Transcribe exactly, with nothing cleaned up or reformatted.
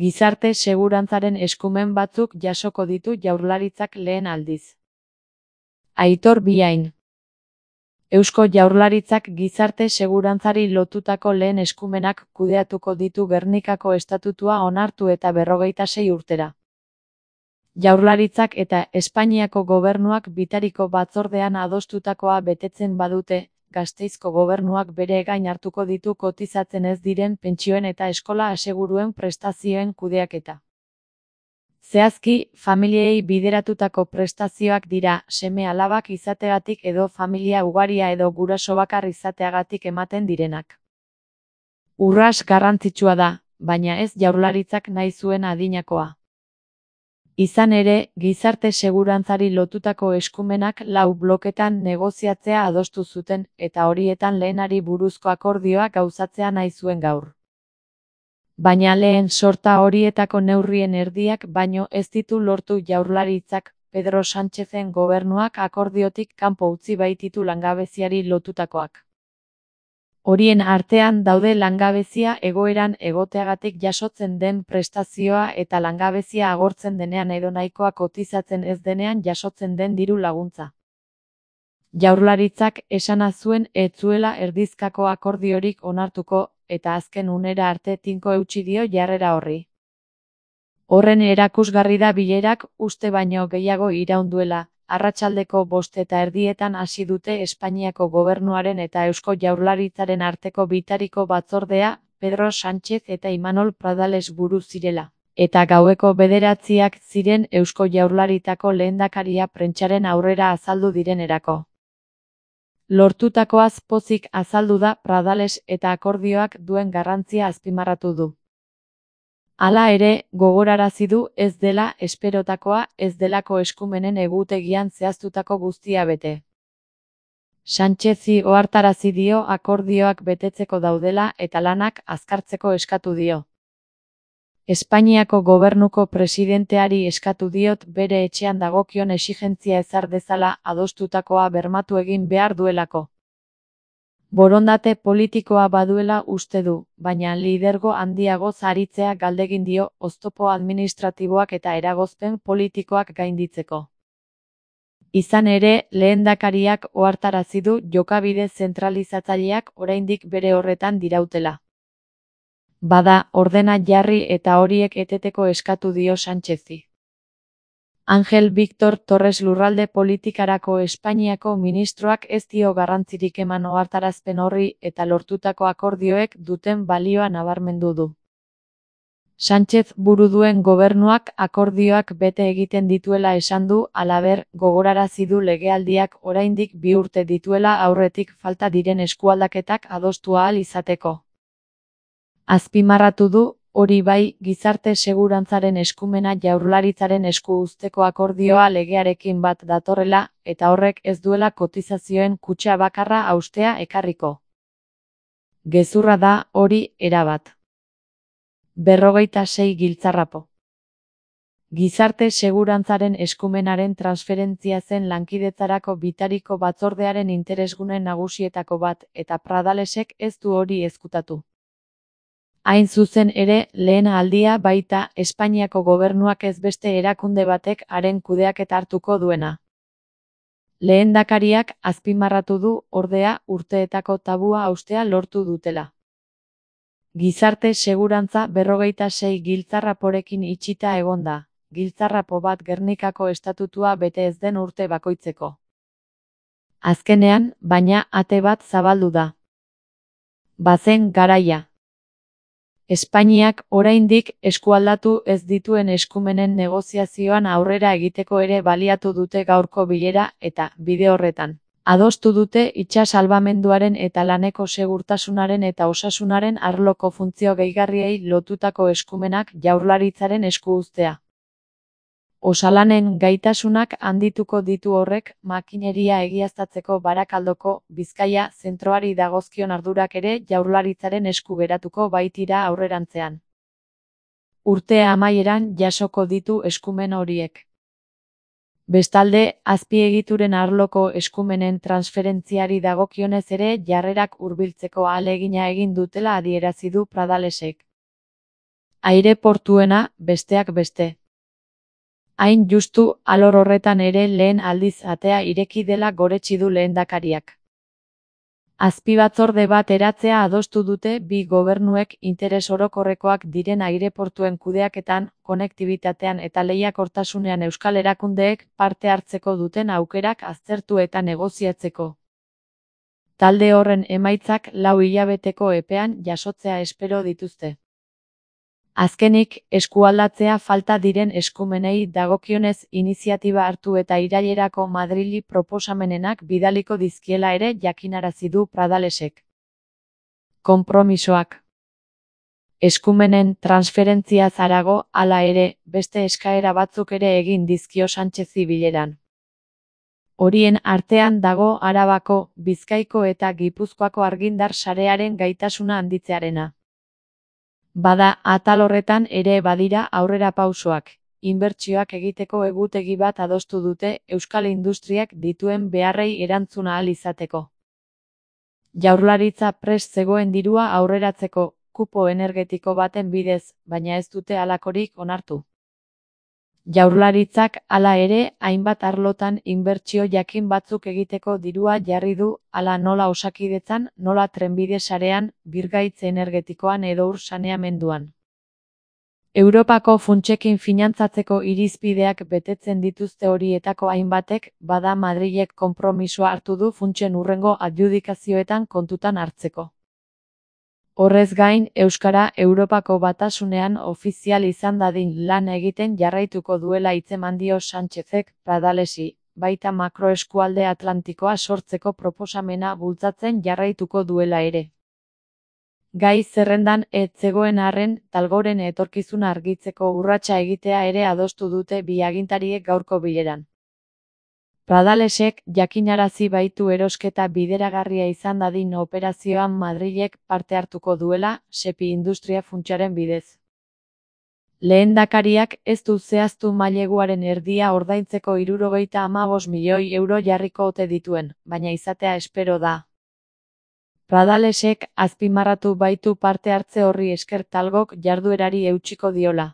Gizarte segurantzaren eskumen batzuk jasoko ditu Jaurlaritzak lehen aldiz. Aitor Biain. Eusko Jaurlaritzak gizarte segurantzari lotutako lehen eskumenak kudeatuko ditu Gernikako Estatutua onartu eta berrogeita sei urtera. Jaurlaritzak eta Espainiako gobernuak bitariko batzordean adostutakoa betetzen badute, Gasteizko gobernuak bere gain hartuko ditu kotizatzen ez diren pentsioen eta eskola aseguruen prestazioen kudeaketa. Zehazki, familiei bideratutako prestazioak dira seme-alabak izateagatik edo familia ugaria edo guraso bakar izateagatik ematen direnak. Urrats garrantzitsua da, baina ez Jaurlaritzak nahi zuen adinakoa. Izan ere, gizarte segurantzari lotutako eskumenak lau bloketan negoziatzea adostu zuten eta horietan lehenari buruzko akordioa gauzatzea nahi zuen gaur. Baina lehen sorta horietako neurrien erdiak baino ez ditu lortu Jaurlaritzak, Pedro Sánchezen gobernuak akordiotik kanpo utzi baititu langabeziari lotutakoak. Horien artean daude langabezia egoeran egoteagatik jasotzen den prestazioa eta langabezia agortzen denean edo nahikoa kotizatzen ez denean jasotzen den diru laguntza. Jaurlaritzak esana zuen ez zuela erdizkako akordiorik onartuko, eta azken unera arte tinko eutsi dio jarrera horri. Horren erakusgarri da bilerak uste baino gehiago iraun duela, arratsaldeko bost eta erdietan hasi dute Espainiako gobernuaren eta Eusko Jaurlaritzaren arteko bitariko batzordea, Pedro Sánchez eta Imanol Pradales buru zirela, eta gaueko bederatziak ziren Eusko Jaurlaritzako lehendakaria prentsaren aurrera azaldu direnerako. Lortutakoaz pozik azaldu da Pradales eta akordioak duen garrantzia azpimarratu du. Hala ere, gogorarazi du ez dela esperotakoa ez delako eskumenen egutegian zehaztutako guztia bete. Sánchezi ohartarazi dio akordioak betetzeko daudela eta lanak azkartzeko eskatu dio. Espainiako gobernuko presidenteari eskatu diot bere etxean dagokion exigentzia ezar dezala adostutakoa bermatu egin behar duelako. Borondate politikoa baduela uste du, baina lidergo handiagoz aritzea galdegin dio oztopo administratiboak eta eragozpen politikoak gainditzeko. Izan ere, lehendakariak ohartarazi du jokabide zentralizatzaileak oraindik bere horretan dirautela. Bada, ordena jarri eta horiek eteteko eskatu dio Sánchezi. Ángel Víctor Torres lurralde politikarako Espainiako ministroak ez dio garrantzirik eman ohartarazpen horri eta lortutako akordioek duten balioa nabarmendu du. Sánchez buru duen gobernuak akordioak bete egiten dituela esan du, halaber, gogorarazi du legealdiak oraindik bi urte dituela aurretik falta diren eskualdaketak adostu ahal izateko. Azpimarratu du, hori bai, gizarte segurantzaren eskumena Jaurlaritzaren esku uzteko akordioa legearekin bat datorrela, eta horrek ez duela kotizazioen kutxa bakarra haustea ekarriko. Gezurra da, hori, erabat. Berrogeita sei giltzarrapo. Gizarte segurantzaren eskumenaren transferentzia zen lankidetzarako bitariko batzordearen interesgune nagusietako bat, eta Pradalesek ez du hori ezkutatu. Hain zuzen ere, lehen aldia baita Espainiako gobernuak ez beste erakunde batek haren kudeaketa hartuko duena. Lehendakariak azpimarratu du, ordea, urteetako tabua haustea lortu dutela. Gizarte segurantza berrogeita sei giltzarraporekin itxita egon da, giltzarrapo bat Gernikako estatutua bete ez den urte bakoitzeko. Azkenean, baina ate bat zabaldu da. Bazen garaia. Espainiak oraindik eskualdatu ez dituen eskumenen negoziazioan aurrera egiteko ere baliatu dute gaurko bilera eta, bide horretan, adostu dute itsas salbamenduaren eta laneko segurtasunaren eta osasunaren arloko funtzio gehigarriei lotutako eskumenak Jaurlaritzaren esku uztea. Osalanen gaitasunak handituko ditu horrek, makineria egiaztatzeko Barakaldoko, Bizkaia, zentroari dagozkion ardurak ere Jaurlaritzaren esku geratuko baitira aurrerantzean. Urte amaieran jasoko ditu eskumen horiek. Bestalde, azpiegituren arloko eskumenen transferentziari dagokionez ere jarrerak hurbiltzeko ahalegina egin dutela adierazi du Pradalesek. aireportuena, besteak beste. Hain justu, alor horretan ere lehen aldiz atea ireki dela goretsi du lehendakariak. Azpibatzorde bat eratzea adostu dute bi gobernuek interes orokorrekoak diren aireportuen kudeaketan, konektibitatean eta lehiakortasunean euskal erakundeek parte hartzeko duten aukerak aztertu eta negoziatzeko. Talde horren emaitzak lau hilabeteko epean jasotzea espero dituzte. Azkenik, eskualdatzea falta diren eskumenei dagokionez iniziatiba hartu eta irailerako Madrili proposamenenak bidaliko dizkiela ere jakinarazi du Pradalesek. Konpromisoak. Eskumenen transferentziaz harago, hala ere, beste eskaera batzuk ere egin dizkio Sánchezi bileran. Horien artean dago Arabako, Bizkaiko eta Gipuzkoako argindar sarearen gaitasuna handitzearena. Bada, atal horretan ere badira aurrerapausoak. Inbertsioak egiteko egutegi bat adostu dute euskal industriak dituen beharrei erantzuna ahal izateko. Jaurlaritza prest zegoen dirua aurreratzeko, kupo energetiko baten bidez, baina ez dute halakorik onartu. Jaurlaritzak, hala ere, hainbat arlotan inbertsio jakin batzuk egiteko dirua jarri du, hala nola Osakidetzan, nola trenbide sarean, birgaitz energetikoan edo ur saneamenduan. Europako funtsekin finantzatzeko irizpideak betetzen dituzte horietako hainbatek, bada Madrilek konpromisoa hartu du funtsen hurrengo adjudikazioetan kontutan hartzeko. Horrez gain, euskara Europako Batasunean ofizial izan dadin lan egiten jarraituko duela hitzeman dio Sánchezek Pradalesi, baita makroeskualde Atlantikoa sortzeko proposamena bultzatzen jarraituko duela ere. Gai zerrendan ez zegoen arren, Talgoren etorkizuna argitzeko urratsa egitea ere adostu dute bi agintariek gaurko bileran. Pradalesek jakinarazi baitu erosketa bideragarria izan dadin operazioan Madrilek parte hartuko duela, Sepi Industria Funtsaren bidez. Lehendakariak ez du zehaztu maileguaren erdia ordaintzeko hirurogeita hamabost milioi euro jarriko ote dituen, baina izatea espero da. Pradalesek azpimarratu baitu parte hartze horri esker Talgok jarduerari eutsiko diola.